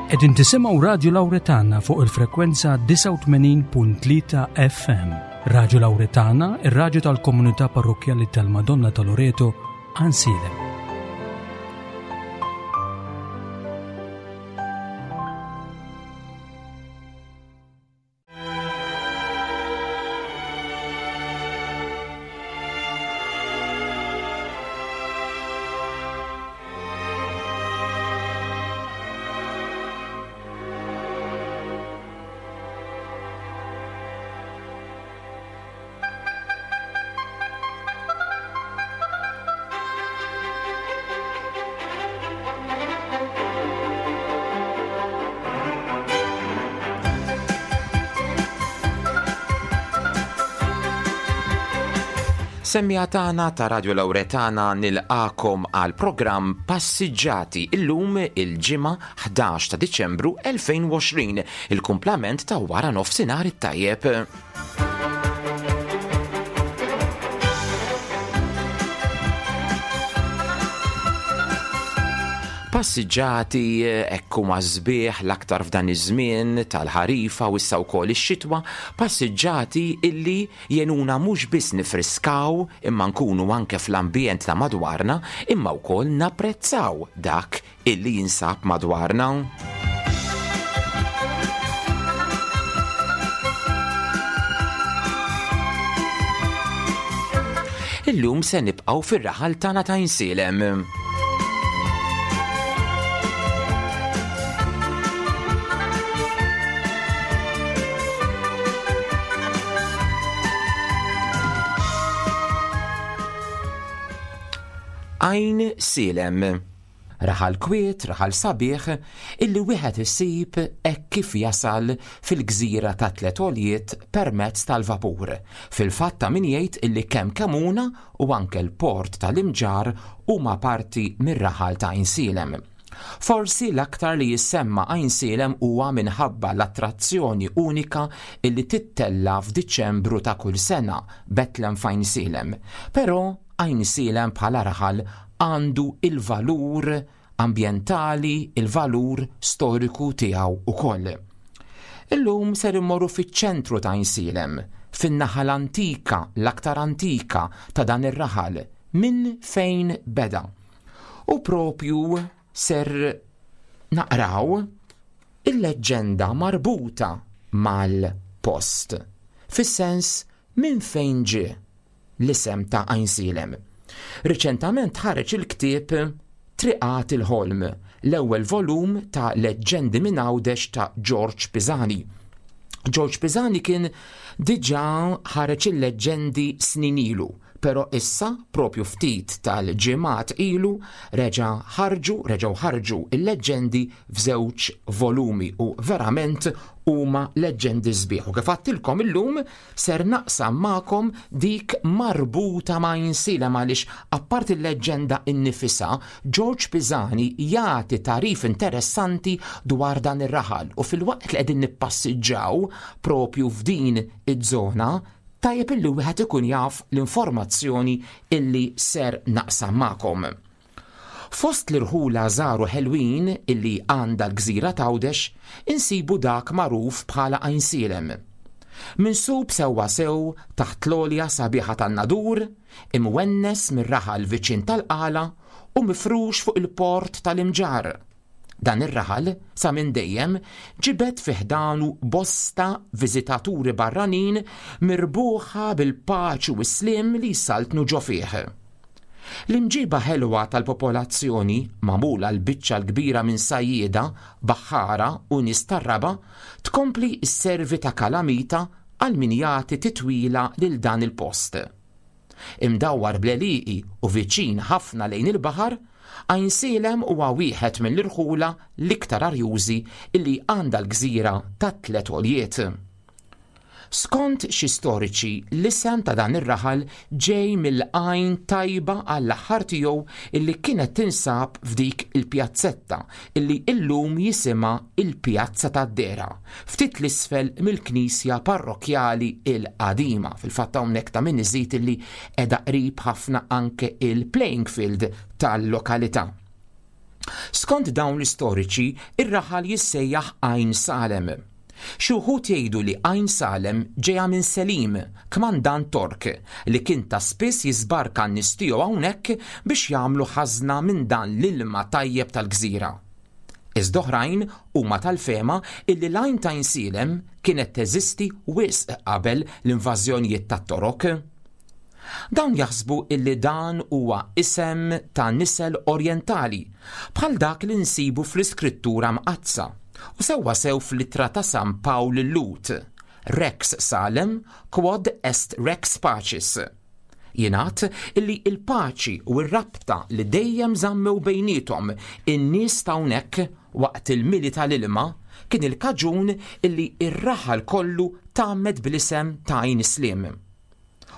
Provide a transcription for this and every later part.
Qegħdin tisimgħu Radju Lawretana fuq il-frekwenza 89.3 FM. Radju Lawretana, ir-radju tal-komunità parrokkjali tal-Madonna ta' Loreto, Ansilem. Semmija tagħna ta' Radio Lawretana nilqakom għal programm Passiġġati illum il-Ġimgħa 11 ta' Diċembru 2020, il-kumplament ta' wara nofsinhar it-tajjeb. Passiġġati hekk huma sbieħ l-aktar f'dan iż-żmien tal-ħarifa u issa wkoll ix-xitwa, passiġġati illi jgħinuna mhux biss nifriskaw imma nkunu anke fl-ambjent ta' madwarna imma wkoll napprezzaw dak illi jinsab madwarna. Illum se nibqgħu fir-raħal tagħna ta' Insielem. Għajn Sielem. Raħal kwiet, raħal sabiħ, illi wieħed isib hekk kif jasal fil-gżira tat-Tliet Għoljiet permezz tal-vapur. Fil-fatt ta' min jgħid illi kemm Kemuna u anke l-port tal-Imġarr huma parti mir-raħal ta' Għajnsielem. Forsi l-aktar li jissemma Għajnsielem huwa minħabba l-attrazzjoni unika illi tittella' f'Diċembru ta' kull sena, Betlem f'Għajnsielem. Però Għajnsielem bħala raħal għandu il-valur ambjentali, il-valur storiku tiegħu ukoll. Illum ser immorru fiċ-ċentru ta' Għajnsielem, fin-naħa l-antika, l-aktar antika ta' dan ir-raħal, minn fejn beda. U propju ser naqraw il-leġġenda marbuta mal-post, fis-sens minn fejn ġie l-isem ta' Għajnsielem. Riċentament ħareġ il-ktieb Triqat il-Ħolm, l-ewwel volum ta' Leġġendi minn Għawdex ta' Ġorġ Pisani. Ġorġ Pisani kien diġà ħareġ il-leġġendi snin ilu, però issa propju ftit tal-ġimgħat ilu reġa' ħarġu, reġgħu ħarġu il-leġġendi f'żewġ volumi u verament huma leġġendi sbieħ. U kif għadtilkom illum Ser naqsam magħkom dik marbuta ma' Għajnsielem għaliex apparti l-leġġenda innifisha, Ġorġ Pisani jagħti tagħrif interessanti dwar dan ir-raħal u filwaqt li qegħdin nippassiġġaw propju f'din iż-żona, tajjeb illi wieħed ikun jaf l-informazzjoni illi ser naqsam magħkom. Fost l-irħula żgħar u ħelwin illi għandha l-gżira t'Għawdex, insibu dak magħruf bħala Għajnsielem. Minsub sewwasew taħt l-għolja sabiħa tan-Nadur, imwennes mir-raħal viċin tal-Qala u mifrux fuq il-port tal-Imġarr. Dan ir-raħal, sa minn dejjem, ġibed fi ħdanu bosta viżitaturi barranin mirbuħa bil-paċi u s-sliem li jsaltnu ġo fih. L-imġiba ħelwa tal-popolazzjoni, magħmula l-biċċa l-kbira minn sajjieda, baħħara u nies tar-raba', tkompli sservi ta' kalamita għal min jagħti titwila lil dan il-post. Imdawwar bl-għelieqi u viċin ħafna lejn il-baħar, Għajnsielem huwa wieħed mill-irħula l-iktar arjużi li għandha l-gżira tat-Tliet Għoljiet. Skont xi storiċi, l-isem ta' dan ir-raħal ġej mill-għajn tajba għall-aħħar tiegħu illi kienet tinsab f'dik il-pjazzetta illi illum jisimha il-Pjazza tad-Dehra, ftit 'l isfel mill-knisja parrokkjali l-qadima. Fil-fatt hawnhekk ta' min iżid illi qiegħda qrib ħafna anke il-playing field tal-lokalità. Skont dawn l-istoriċi, ir-raħal jissejjaħ Għajn Salem. Xi wħud jgħidu li Għajn Salem ġejja minn Selim, kmandant Tork, li kien ta' spiss jiżbarka n-nies tiegħu hawnhekk biex jagħmlu ħażna minn dan l-ilma tajjeb tal-gżira. Iżda oħrajn huma tal-fehma illi l-Għajn t'Għajnsielem kienet teżisti wisq qabel l-invażjonijiet tat-Torok. Dawn jaħsbu illi dan huwa isem ta' nisel orjentali, bħal dak li nsibu fl-Iskrittura Mqaddsa, u sewwasew fl-ittra ta' San Pawl lil-Lhud, Rex Salem quod est rex pacis. Jingħad illi l-paċi u r-rabta li dejjem żammew bejniethom in-nies t'hawnhekk waqt il-mili tal-ilma kien il-kaġun illi r-raħal kollu tgħammed bl-isem ta' Għajn Sliem.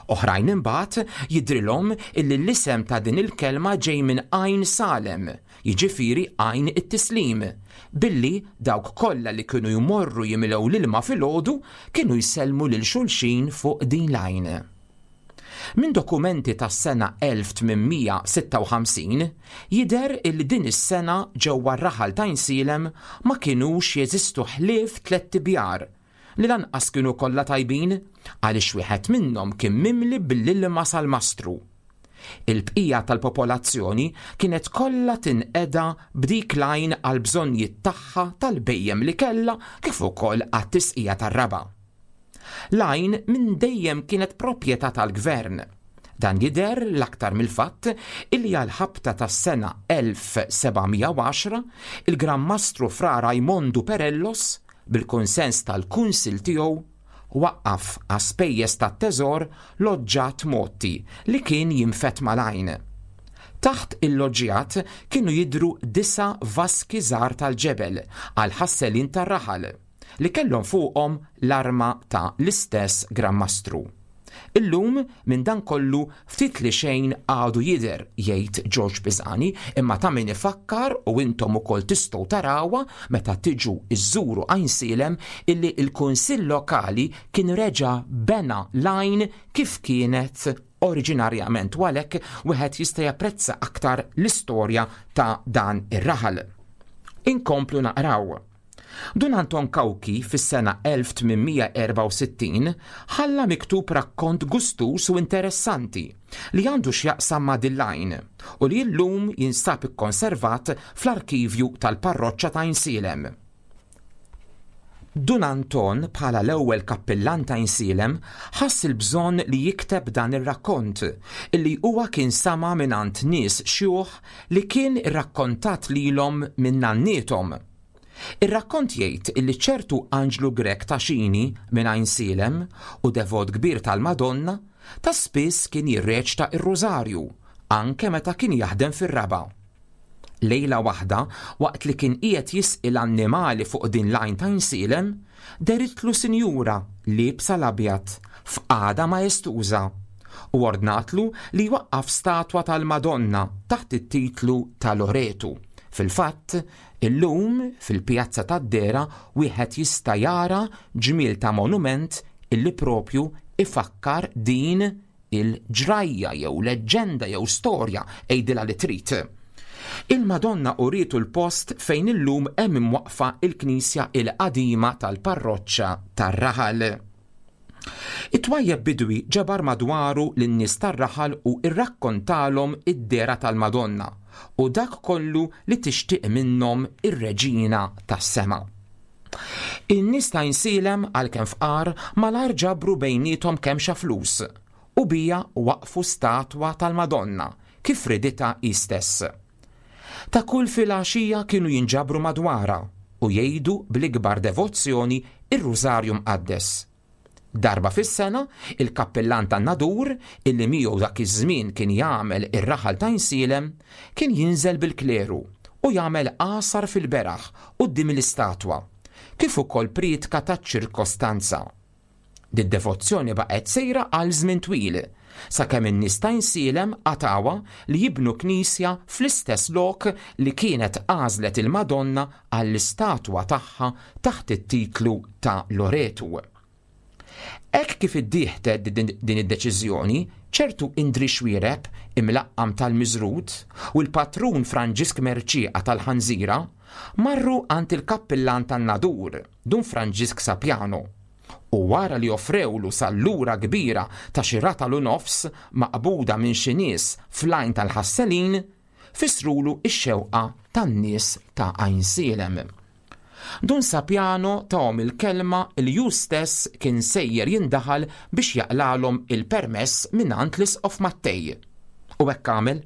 Oħrajn imbagħad jidhrilhom illi l-isem ta' din il-kelma ġej minn Għajn Salem, jiġifieri Għajn it-Tislim, billi dawk kollha li kienu jmorru jimlew l-ilma filgħodu kienu jsellmu lil xulxin fuq din l-għajn. Minn dokumenti tas-sena 1856 jidher illi din is-sena ġewwa r-raħal t'Għajnsielem ma kinux jeżistu ħlief tlett ibjar li lanqas kienu kollha tajbin għaliex wieħed minnhom kien mimli bl-ilma salmastru. Il-bqija tal-popolazzjoni kienet kollha tinqeda b'dik l-għajn għall-bżonnijiet tagħha tal-bhejjem li kellha kif ukoll għat-tisqija tar-raba'. L-għajn minn dejjem kienet proprjetà tal-gvern. Dan jidher l-aktar mill-fatt illi għall-ħabta tas-sena 1710 il-Gran Mastru Fra Rajmondu Perellos, bil-kunsens tal-Kunsill tiegħu, waqqaf għas-spejjeż tat-teżor loġġat mgħotti li kien jinfed mal-għajn. Taħt il-loġġjat kienu jidhru disa' vaski żgħar tal-ġebel għall-ħasselin tar-raħal, li kellhom fuqhom l-arma ta' l-istess Gran Mastru. Illum minn dan kollu ftit li xejn għadu jidher, jgħid Ġorġ Pisani, imma ta' min ifakkar u intom ukoll tistgħu tarawha meta tiġu żżuru Għajnsielem illi l-Kunsill Lokali kien reġa' bena l-għajn kif kienet oriġinarjament u għalhekk wieħed jista' japprezza aktar l-istorja ta' dan ir-raħal. Inkomplu naqraw. Dun Anton Cauchi fis-sena 1864 ħalla miktub rakkont gustuż u interessanti li għandu x'jaqsam ma' din l-għajn u li llum jinsab ikkonservat fl-arkivju tal-parroċċa ta' Għajnsielem. Dun Anton bħala l-ewwel kappillan ta' Għajnsielem ħass il-bżonn li jikteb dan ir-rakkont illi huwa kien sama' mingħand nies xjuħ li kien irrakkontat lilhom minn nanniethom. Ir-rakkont jgħid illi ċertu Anġlu Grech ta' Xini minn Għajnsielem u devot kbir tal-Madonna, ta' spiss kien jirreċta r-Rużarju, anke meta kien jaħdem fir-raba'. Lejla waħda, waqt li kien qiegħed jisqi l-annimali fuq din l-għajn t'Għajnsielem, deritlu sinjura liebsa l-abjad, f'qagħda maestuża, u ordnatlu li jwaqqaf statwa tal-Madonna taħt it-titlu ta' Loretu. Fil-fatt, Illum, fil-Pjazza tad-Dehra wieħed jista' jara ġmiel ta' monument illi propju ifakkar din il-ġrajja jew leġġenda jew storja, għidilha li trid. Il-Madonna urietu l-post fejn illum hemm imwaqqfa l-knisja il-qadima tal-parroċċa tar-raħal. It-twajjeb bidwi ġabar madwaru lin-nies tar-raħal u rrakkontalhom id-dehra tal-Madonna u dak kollu li tixtieq minnhom ir-Reġina tas-Sema. In-nies ta' Għajnsielem, għalkemm fqar, malajr ġabru bejniethom kemxa flus u biha waqqfu statwa tal-Madonna kif riditha hi stess. Ta' kull filgħaxija kienu jinġabru madwarha u jgħidu bl-ikbar devozzjoni r-Rużarju Mqaddes. Darba fis-sena, il-kappillan tan-Nadur, illi miegħu dak iż-żmien kien jagħmel ir-raħal t'Għajnsielem, kien jinżel bil-kleru u jagħmel għasar fil-beraħ quddiem l-istatwa, kif ukoll prietka taċ-ċirkostanza. Did-devozzjoni baqgħet sejra għal żmien twil, sakemm in-nies ta' Għajnsielem qatgħuha li jibnu knisja fl-istess lok li kienet għażlet il-Madonna għall-istatwa tagħha taħt it-titlu ta' Loretu. Hekk kif iddieħdet din id-deċiżjoni, Ċertu Indri Xuereb, imlaqqam tal-Miżrud, u l-patrun Franġisk Mercieqa tal-Ħanżira marru għand il-kappillan tan-Nadur, Dun Franġisk Sapiano, u wara li offrewlu sallura kbira ta' xi ratal u nofs maqbuda minn xi nies fl-Għajn tal-Ħasselin, fissrulu x-xewqa tan-nies ta' Għajnsielem. Dun Sapiano tahom il-kelma li hu stess kien sejjer jindaħal biex jaqlagħlhom il-permess mingħand l-Isqof Mattei. U hekk għamel.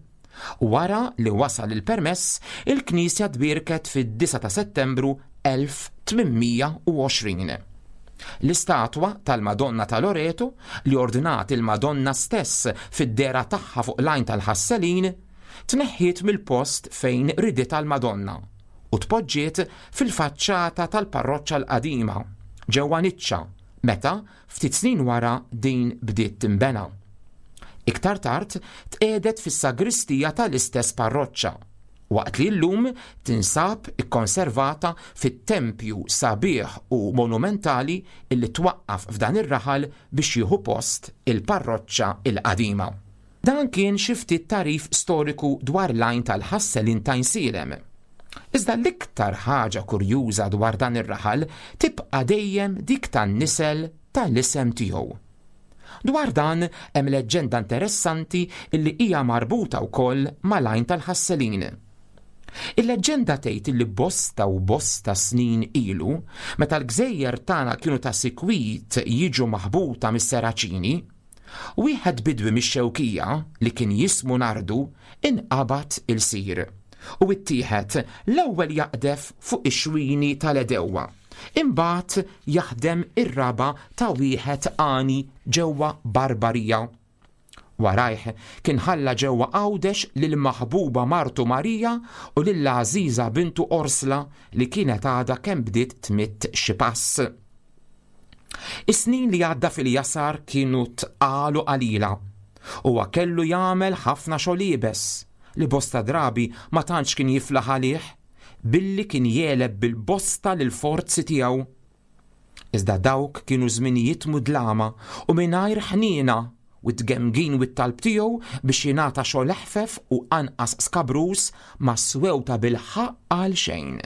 Wara li wasal il-permess, il-knisja tbierket fid-9 ta' Settembru 1820. L-istatwa tal-Madonna ta' Loreto, li ordnat il-Madonna stess fid-dehra tagħha fuq l-Għajn tal-Ħasselin, tneħħiet mill-post fejn riditha l-Madonna u tpoġġiet fil-faċċata tal-parroċċa l-qadima, ġewwa niċċa, meta, ftit snin wara din bdiet tinbena. Iktar tard tqiegħdet fis-sagristija tal-istess parroċċa, waqt li llum tinsab ikkonservata fit-tempju sabiħ u monumentali li twaqqaf f'dan ir-raħal biex jieħu post il-parroċċa l-qadima. Dan kien xi ftit tagħrif storiku dwar l-Għajn tal-Ħasselin t'Għajnsielem. Iżda l-iktar ħaġa kurjuża dwar dan ir-raħal tibqa' dejjem dik tan-nisel tal-isem tiegħu. Dwar dan hemm leġġenda interessanti li hija marbuta wkoll mal-Għajn tal-Ħasselin. Il-leġġenda tgħid li bosta u bosta snin ilu, meta l-gżejjer tagħna kienu ta' sikwit jiġu maħbuta mis-Seraċini, Wieħed bidwi mix-Xewkija li kien jismu Nardu inqabad ilsir u ittieħed l-ewwel jaqdef fuq ix-xwini tal-għedewwa, imbagħad jaħdem ir-raba' ta' wieħed għani ġewwa Barbarija. Warajh kien ħalla ġewwa Għawdex lill-maħbuba martu Marija u lill-għażiża bintu Orsla li kienet għadha kemm bdiet tmidd xi pass. Is-snin li għadda fil-jasar kienu tqal u qalila. Huwa kellu jagħmel ħafna xogħol iebes, li bosta drabi ma tantx kien jiflaħ għalih, billi kien jegħleb bil-bosta lill-forzi tiegħu. Iżda dawk kienu żminijiet mudlama u mingħajr ħniena u t-tgemgin u t-talb tiegħu biex jingħata xogħol eħfef u anqas skabruż ma swew tabilħaqq għal xejn.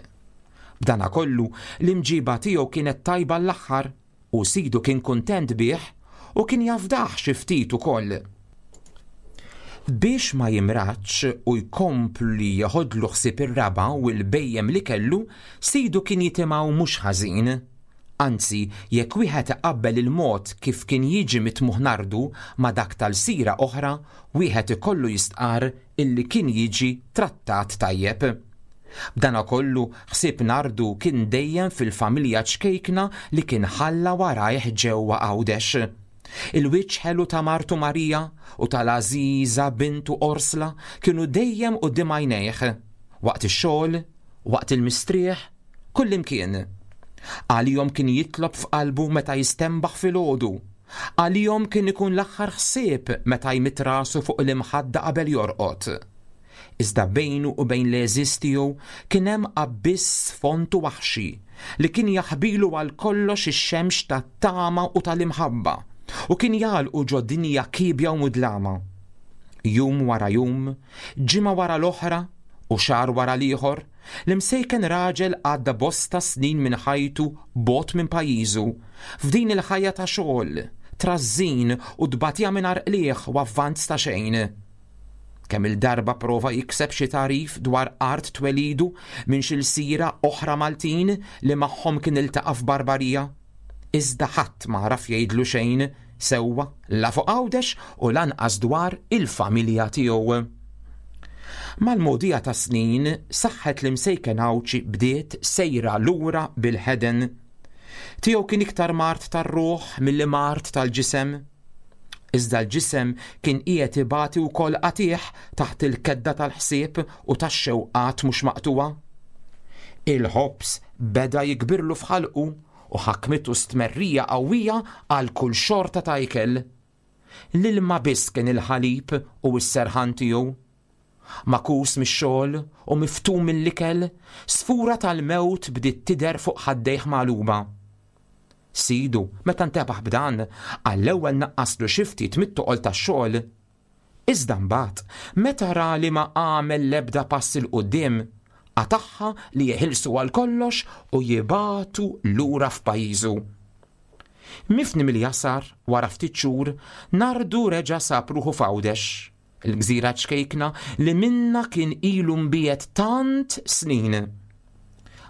B'danakollu, l-imġiba tiegħu kienet tajba għall-aħħar u sidu kien kuntent bih u kien jafdah xi ftit ukoll. Biex ma jimradx u jkompli jeħodlu ħsieb ir-raba' u l-bhejjem li kellu, sidu kien jitimgħu mhux ħażin. Anzi, jekk wieħed iqabbel il-mod kif kien jiġi mitmugħ Nardu ma' dak ta' lsira oħra, wieħed ikollu jistqarr illi kien jiġi trattat tajjeb. B'danakollu, ħsieb Nardu kien dejjem fil-familja ċkejkna li kien ħalla warajh ġewwa Għawdex. Il-wiċċ ħelu ta' martu Marija u tal-għażiża bintu Orsla kienu dejjem quddiem għajnejh, waqt ix-xogħol, waqt il-mistrieħ, Kullimkien. Għalihom kien jitlob f'qalbu meta jistenbaħ filgħodu. Għalihom kien ikun l-aħħar ħsieb meta jmidd rasu fuq l-imħadda qabel jorqod. Iżda bejnu u bejn l-għeżież tiegħu kien hemm abbiss fond u waħxi li kien jaħbilu għal kollox ix-xemx tat-tama u tal-imħabba u kien jagħlqu ġo dinja kiebja u mudlama. Jum wara jum, ġimgħa wara l-oħra u xahar wara l-ieħor, L-imsejken raġel għadda bosta snin minn ħajtu bogħod minn pajjiżu, f'din il-ħajja ta' xogħol, trażżin u tbatija mingħajr qligħ u avvanz ta' xejn. Kemm-il darba prova jikseb xi tagħrif dwar art twelidu minn xi lsira oħra Maltin li magħhom kien iltaqa' f'Barbarija. Iżda ħadd m'għaraf jgħidlu xejn sewwa la fuq Għawdex u lanqas dwar il-familja tiegħu. Mal-mogħdija tas-snin, saħħet l-imsejken Għawdxi bdiet sejra lura bil-ħeden. Tiegħu kien iktar mard tar-ruħ milli mard tal-ġisem. Iżda l-ġisem kien qiegħed ibati wkoll qatigħ taħt il-kedda tal-ħsieb u tax-xewqat mhux maqtugħa. Il-ħobż beda jikbirlu f'ħalqu u ħakmitu stmerrija qawwija għal kull xorta ta' ikel. L-ilma biss kien il-ħalib u s-serħan tiegħu. Magħkus mix-xogħol u miftum mill-ikel, sfura tal-mewt bdiet tidher fuq ħaddejh magħluba. Sidu, meta ntebaħ b'dan, għall-ewwel naqqaslu xi ftit mit-toqol tax-xogħol. Iżda mbagħad, meta ra li ma għamel l-ebda pass 'il quddiem, qatagħha li jeħilsu għal kollox u jibagħtu lura f'pajjiżu. Mifni mill-jasar, wara ftit xhur, Nardu reġa' sab ruħu f'Għawdex, il-gżira ċkejkna li minnha kien ilu mbiegħed tant snin.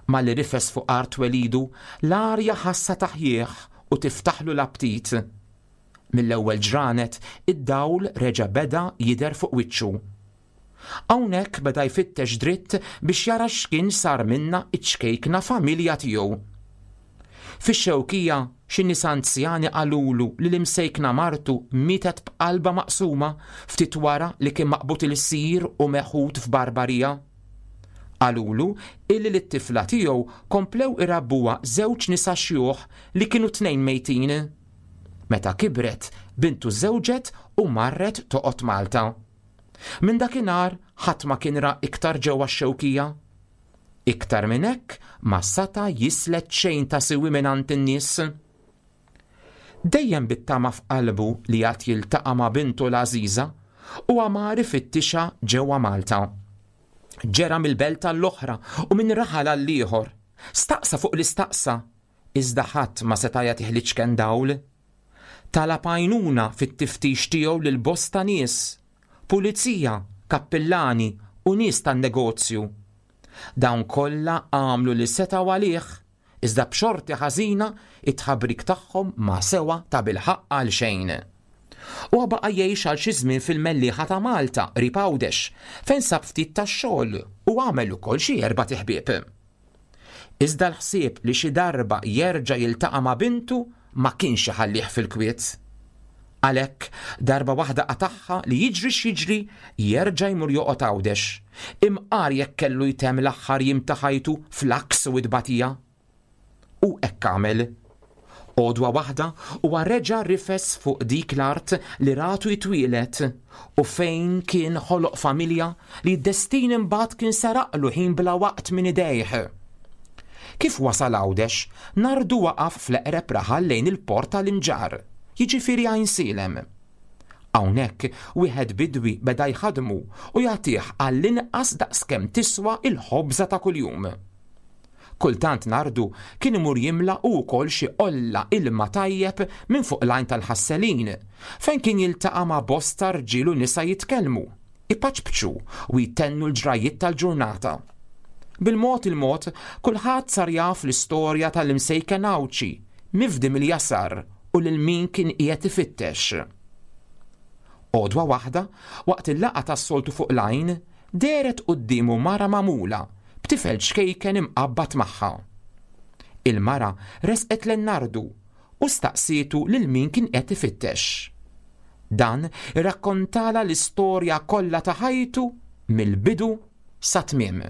Malli rifes fuq art twelidu, l-arja ħassha taħjih u tiftaħlu l-aptit. Mill-ewwel ġranet, id-dawl reġa' beda jidher fuq wiċċu. Hawnhekk beda jfittex dritt biex jara x'kien sar minnha ċ-ċkejkna familja tiegħu. Fix-Xewkija, xi nies anzjani qalulu li l-imsejkna martu mietet b'qalbha maqsuma ftit wara li kien maqbud ilsir u meħud f'barbarija. Qalulu illi lit-tifla tiegħu komplew irabbuha żewġ nisa xjuħ li kienu t-tnejn mejtin. Meta kibret, bintu żżewġet u marret toqgħod Malta. Minn dakinhar ħadd ma kien ra iktar ġewwa x-Xewkija. Iktar minn hekk ma sata' jislet xejn ta' siwi mingħand in-nies. Dejjem bit-tama f'qalbu li għad jiltaqa' ma' bintu l-għażiża, huwa mar ifittixha ġewwa Malta. Ġera mill-belt għall-oħra u minn raħal għall-ieħor. Staqsa fuq li staqsa, iżda ħadd ma seta' jagħtih l-iċken dawl. Talab għajnuna fit-tiftix tiegħu lil bosta nies, pulizija, kappillani u nies tan-negozju. Dawn kollha għamlu li setgħu għalih, iżda b'xorti ħażina it-tħabrik tagħhom ma sewa tabilħaqq għal xejn. Huwa baqa' jgħix għal xi żmien fil-Mellieħa ta' Malta, qrib Għawdex, fejn sab ftit tax-xogħol u għamel ukoll xi erbat iħbieb. Iżda l-ħsieb li xi darba jerġa' jiltaqa' ma' bintu ma kienx iħallih fil-kwiet. Għalhekk, darba waħda qatagħha li jiġri x'jiġri jerġa' jmur joqgħod Għawdex, imqar jekk kellu jtemm l-aħħar jiem ta' ħajtu fl-għaks u t-tbatija. U hekk għamel. Għodwa waħda huwa reġa' rifes fuq dik l-art li ratu jitwieled u fejn kien ħoloq familja li d-destin imbagħad kien seraqlu ħin bla waqt minn idejh. Kif wasal Għawdex, Nardu waqaf fl-eqreb raħal lejn il-port tal-Imġarr, jiġifieri Għajnsielem. Hawnhekk wieħed bidwi beda jħaddmu u jagħtih għall-inqas daqskemm tiswa l-ħobża ta' kuljum. Kultant Nardu kien imur jimla hu wkoll xi qolla ilma tajjeb minn fuq l-għajn tal-Ħasselin, fejn kien jiltaqa' ma' bosta rġiel u nisa jitkellmu, ipaċpċu u jtennu l-ġrajjiet tal-ġurnata. Bil-mod il-mod, kulħadd sar jaf l-istorja tal-imsejken Għawdxi, mifdi mill-jasar u lil min kien qiegħed ifittex. Għodwa waħda, waqt il-laqgħa tas-soltu fuq l-għajn, dehret quddiemu mara magħmula b'tifel ċkejken imqabbad magħha. Il-mara resqet lejn Nardu u staqsietu lil min kien qed ifittex. Dan irrakkontalha l-istorja kollha ta' ħajtu mill-bidu sat-tmiem.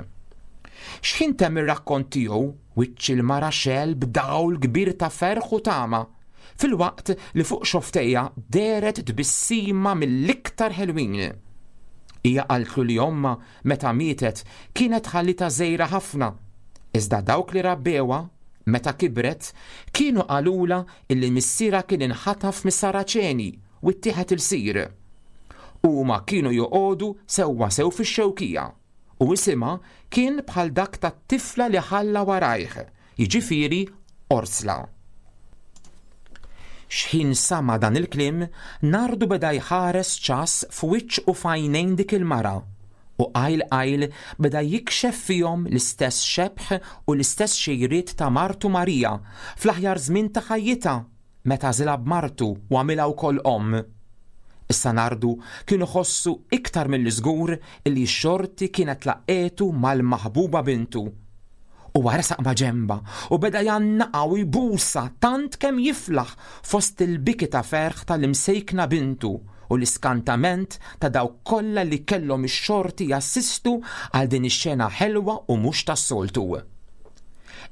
X'ħin temm ir-rakkont tiegħu, wiċċ il-mara xegħel b'dawl kbir ta' ferħ u tama, filwaqt li fuq xofftejha dehret tbissima mill-iktar ħelwin. Hija qaltlu li ommha meta mietet kienet ħallitha żgħira ħafna, iżda dawk li rabbewha, meta kibret, kienu qalulha illi missierha kien inħataf mis-Saraċeni u ttieħed ilsir. Huma kienu joqogħdu sewwasew fix-Xewkija u isimha kien bħal dak tat-tifla li ħalla warajh, jiġifieri Orsla. Xħin sama' dan il-kliem, Nardu beda jħares ċass f'wiċċ u f'għajnejn dik il-mara, u qajl qajl beda jikxef fihom l-istess xebh u l-istess xejriet ta' martu Maria fl-aħjar żmien ta' ħajjitha, meta għażilha b'martu u għamilha wkoll omm. Issa Nardu kien iħossu iktar milli żgur illi x-xorti kienet laqqgħetu mal-maħbuba bintu. Huwa resaq maġenbha u beda jgħannaqha u jbusha tant kemm jiflaħ fost il-biki ta' ferħ tal-imsejkna bintu u l-iskantament ta' dawk kollha li kellhom ix-xorti jassistu għal din ix-xena ħelwa u mhux tas-soltu.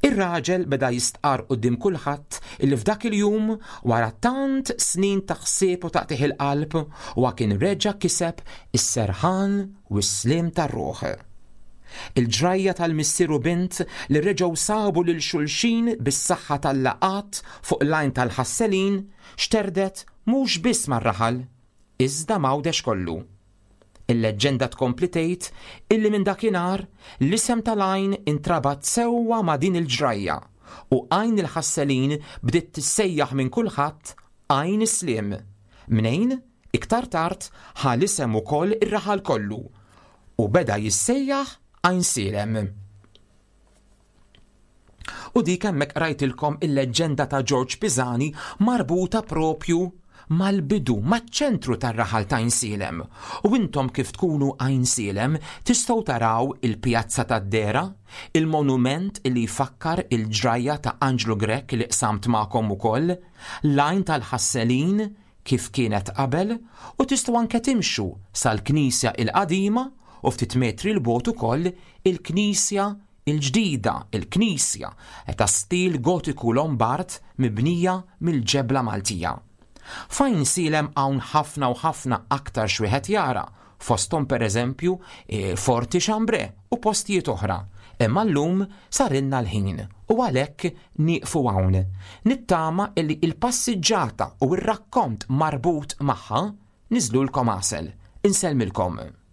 Ir-raġel beda jistqarr quddiem kulħadd illi f'dak il-jum, wara tant snin ta' ħsieb u taqtigħ il-qalb, huwa kien reġa' kiseb is-serħan u s-sliem tar-ruħ. Il-ġrajja tal-missier u bint li reġgħu sabu lil xulxin bis-saħħa tal-laqgħat fuq l-Għajn tal-Ħasselin xterdet mhux biss mar-raħal, iżda m'Għawdex kollu. Il-leġġenda tkompli tgħid illi minn dakinhar l-isem tal-għajn intrabat sewwa ma' din il-ġrajja u Għajn il-Ħasselin bdiet tissejjaħ minn kulħadd Għajn is-Sliem, mnejn, iktar tard, ħa l-isem ukoll ir-raħal kollu u beda jissejjaħ Għajnsielem. U dik hemmhekk qrajtilkom il-leġġenda ta' Ġorġ Pisani marbuta propju mal-bidu, maċ-ċentru tar-raħal ta' Għajnsielem. U intom kif tkunu Għajnsielem tistgħu taraw il-Pjazza tad-Dehra, il-monument li jfakkar il-ġrajja ta' Anġlu Grech li qsamt magħkom ukoll, l-Għajn tal-Ħasselin kif kienet qabel u tistgħu anke timxu sal-Knisja il-qadima u ftit metri 'l bogħod ukoll il-Knisja il-ġdida, il-knisja ta' stil Gotiku Lombard mibnija mill-ġebla Maltija. F'Għajnsielem hawn ħafna u ħafna aktar x'wieħed jara, fosthom pereżempju Forti Chambray u postijiet oħra, imma llum sarilna l-ħin u għalhekk nieqfu hawn. Nittama illi l-passiġġata u r-rakkont marbut magħha niżlulkom għasel. Insellmilkom.